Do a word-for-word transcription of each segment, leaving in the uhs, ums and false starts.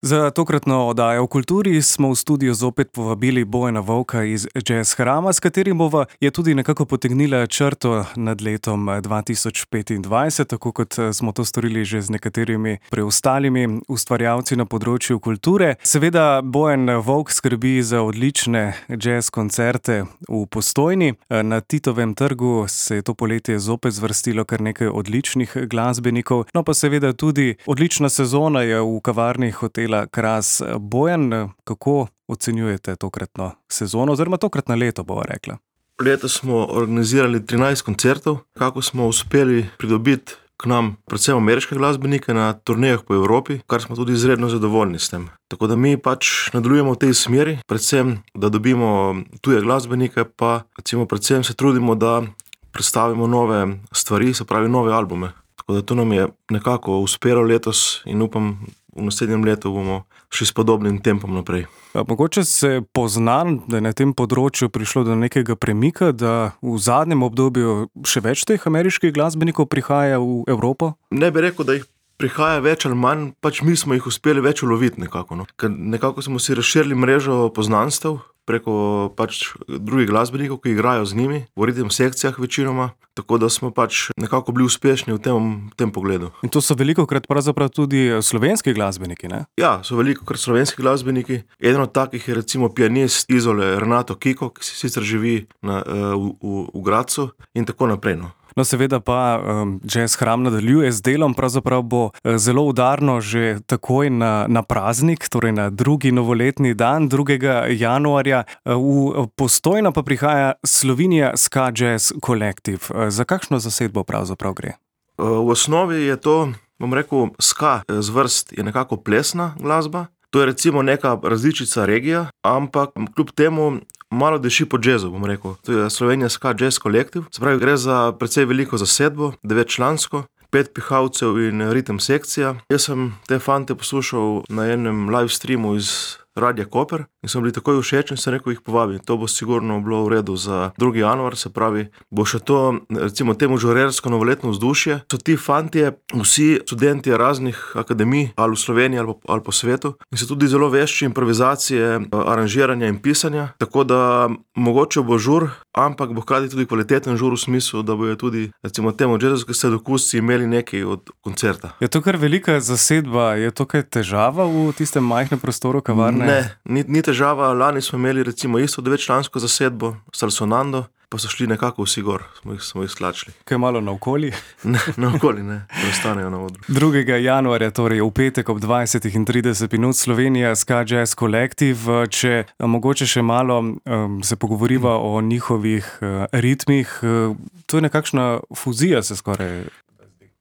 Za tokratno oddajo o kulturi smo v studio zopet povabili Bojana Vovka iz Jazz Hrama, s katerim bova je tudi nekako potegnila črto nad letom dva tisoč petindvajset, tako kot smo to storili že z nekaterimi preostalimi ustvarjalci na področju kulture. Seveda Bojan Vovk skrbi za odlične jazz koncerte v Postojni. Na Titovem trgu se je to poletje zopet zvrstilo kar nekaj odličnih glasbenikov, no pa seveda tudi odlična sezona je v kavarni hotela Kras. Bojan, kako ocenjujete tokratno sezono oziroma tokratno leto, bova rekla? Letos smo organizirali trinajst koncertov, kako smo uspeli pridobiti k nam predvsem ameriške glasbenike na turnejah po Evropi, kar smo tudi izredno zadovoljni s tem. Tako da mi pač nadaljujemo v tej smeri, predvsem, da dobimo tuje glasbenike, pa recimo predvsem se trudimo, da predstavimo nove stvari, se pravi nove albume. Tako da to nam je nekako uspelo letos in upam, v naslednjem letu bomo šli s podobnim tempom naprej. Mogoče se pozna, da je na tem področju prišlo do nekega premika, da v zadnjem obdobju še več teh ameriških glasbenikov prihaja v Evropo? Ne bi rekel, da jih prihaja več ali manj, pač mi smo jih uspeli več uloviti nekako. No. Ker nekako smo si razširili mrežo poznanstev preko pač drugih glasbenikov, ki igrajo z njimi, v ritem sekcijah večinoma, tako da smo pač nekako bili uspešni v tem, v tem pogledu. In to so velikokrat pravzaprav tudi slovenski glasbeniki, ne? Ja, so velikokrat slovenski glasbeniki. Eden od takih je recimo pianist Izole Renato Kiko, ki sicer živi na, v, v, v Gradcu in tako naprej. No. No, seveda pa um, Jazz Hram nadaljuje z delom, pravzaprav bo zelo udarno že takoj na, na praznik, torej na drugi novoletni dan, drugega januarja. V Postojno pa prihaja Slovenia Ska Jazz Collective. Za kakšno zasedbo pravzaprav gre? V osnovi je to, bom rekel, ska zvrst je nekako plesna glasba. To je recimo neka različica regija, ampak kljub temu malo diši po jazzu, bom rekel. To je Slovenia Ska Jazz Collective. Se pravi, gre za precej veliko zasedbo, devetčlansko, pet pihalcev in ritem sekcija. Jaz sem te fante poslušal na enem live streamu iz Radia Koper in sem bili takoj všeč in sem rekel, jih povabim. To bo sigurno bilo v redu za drugi januar, se pravi, bo še to, recimo temu žurersko novoletno vzdušje. So ti fantje vsi študenti raznih akademij, ali v Sloveniji ali po, ali po svetu, in so tudi zelo vešči improvizacije, aranžiranja in pisanja, tako da mogoče bo žur, ampak bo hkrati tudi kvaliteten žur v smislu, da bojo tudi, recimo temu jazzovski sladokusci imeli nekaj od koncerta. Je to kar velika zasedba, je to kaj težava v tistem majhnem prostoru kavarne? Ne, ni, ni težava. Lani smo imeli recimo isto devetčlansko zasedbo, Salsonando, pa so šli nekako vsi gor, smo jih, smo jih slačili. Kaj malo naokoli? Ne, naokoli ne, preostanejo na odru. drugega januarja, torej v petek ob dvajsetih in trideset minut, Slovenia Ska Jazz Collective. Če mogoče še malo um, se pogovoriva o njihovih uh, ritmih, uh, to je nekakšna fuzija se skoraj.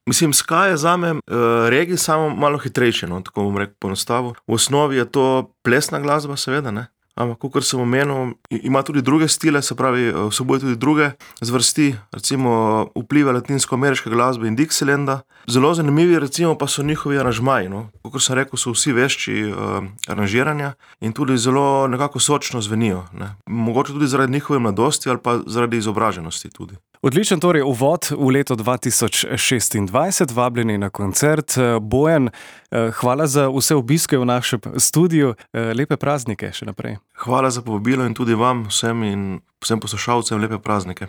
Mislim, ska je zame uh, regij samo malo hitrejše, no, tako bom rekel poenostavil. V osnovi je to plesna glasba, seveda, ne. Ampak, kakor sem omenil, ima tudi druge stile, se pravi, vsebuje tudi druge zvrsti, recimo vplive latinsko-ameriške glasbe in Dixilanda. Zelo zanimivi recimo pa so njihovi aranžmaji, no. Kakor sem rekel, so vsi vešči uh, aranžiranja in tudi zelo nekako sočno zvenijo, ne. Mogoče tudi zaradi njihove mladosti ali pa zaradi izobraženosti tudi. Odličen torej uvod v leto dva tisoč šestindvajset, vabljeni na koncert. Bojan, hvala za vse obiske v našem studiu, lepe praznike še naprej. Hvala za povabilo in tudi vam vsem in vsem poslušalcem lepe praznike.